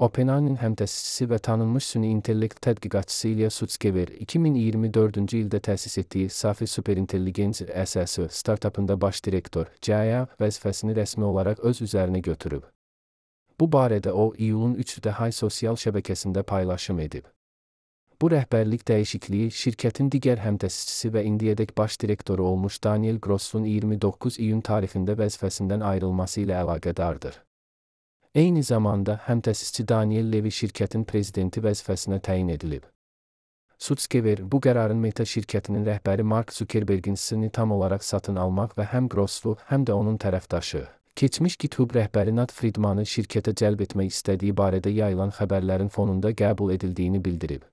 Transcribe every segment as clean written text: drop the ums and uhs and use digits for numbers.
OpenAI'nin həm təsisçisi və tanınmış süni intellekt tədqiqatçısı İlya Sutskever 2024-cü ildə təsis etdiyi Safi Superintelligensiya SSO startapında baş direktor (CIO) vəzifəsini rəsmi olaraq öz üzərinə götürüb. Bu barədə o, iyulun 3-də Hay sosial şəbəkəsində paylaşım edib. Bu rəhbərlik dəyişikliyi şirkətin digər həmtəsisçisi və indiyədək baş direktoru olmuş Daniel Gross'un 29 iyun tarixində vəzifəsindən ayrılması ilə əlaqədardır. Eyni zamanda həmtəsisçi Daniel Levy şirkətin prezidenti vəzifəsinə təyin edilib. Sutskever bu qərarın Meta şirkətinin rəhbəri Mark Zuckerberg'in sirrini tam olaraq satın almaq və həm Gross'u, həm də onun tərəfdaşı, keçmiş GitHub rəhbəri Nat Friedman'ı şirkətə cəlb etmək istədiyi barədə yayılan xəbərlərin fonunda qəbul edildiyini bildirib.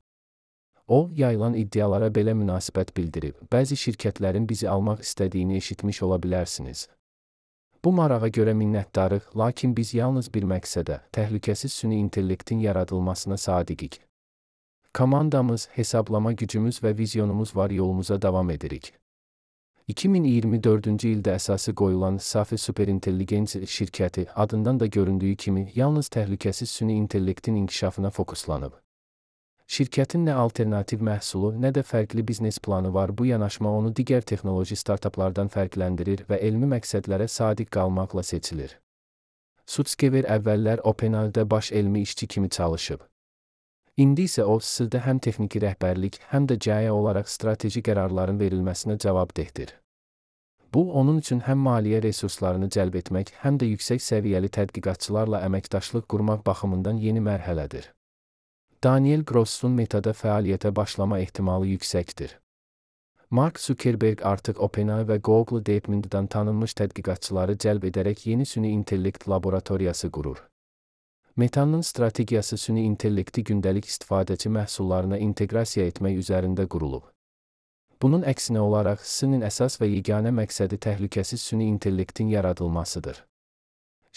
O, yayılan iddialara belə münasibət bildirib. Bəzi şirkətlərin bizi almaq istədiyini eşitmiş ola bilərsiniz. Bu marağa görə minnətdarıq, lakin biz yalnız bir məqsədə, təhlükəsiz süni intellektin yaradılmasına sadiqik. Komandamız, hesablama gücümüz və vizyonumuz var, yolumuza davam edirik. 2024-cü ildə əsası qoyulan Safi Superintelligensiya şirkəti, adından da göründüyü kimi, yalnız təhlükəsiz süni intellektin inkişafına fokuslanıb. Şirkətin nə alternativ məhsulu, nə də fərqli biznes planı var. Bu yanaşma onu digər texnoloji startaplardan fərqləndirir və elmi məqsədlərə sadiq qalmaqla seçilir. Sutskever əvvəllər OpenAI'da baş elmi işçi kimi çalışıb. İndi isə o, sırda həm texniki rəhbərlik, həm də CIO olaraq strateji qərarların verilməsinə cavabdehdir. Bu, onun üçün həm maliyyə resurslarını cəlb etmək, həm də yüksək səviyyəli tədqiqatçılarla əməkdaşlıq qurmaq baxımından yeni mərhələdir. Daniel Gross'un Meta'da fəaliyyətə başlama ehtimalı yüksəkdir. Mark Zuckerberg artıq OpenAI və Google DeepMind'dan tanınmış tədqiqatçıları cəlb edərək yeni süni intellekt laboratoriyası qurur. Meta'nın strategiyası süni intellekti gündəlik istifadəçi məhsullarına inteqrasiya etmək üzərində qurulub. Bunun əksinə olaraq, SIN-in əsas və yeganə məqsədi təhlükəsiz süni intellektin yaradılmasıdır.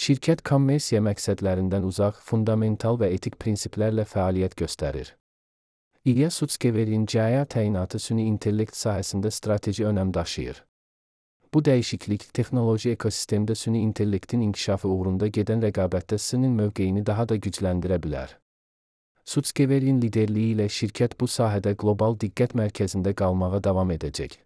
Şirkət kommersiya məqsədlərindən uzaq, fundamental və etik prinsiplərlə fəaliyyət göstərir. İlya Sutskever'in CIO təyinatı süni intellekt sahəsində strateji önəm daşıyır. Bu dəyişiklik, texnoloji ekosistemdə süni intellektin inkişafı uğrunda gedən rəqabətdə SIN-in mövqeyini daha da gücləndirə bilər. Sutskever'in liderliyi ilə şirkət bu sahədə qlobal diqqət mərkəzində qalmağa davam edəcək.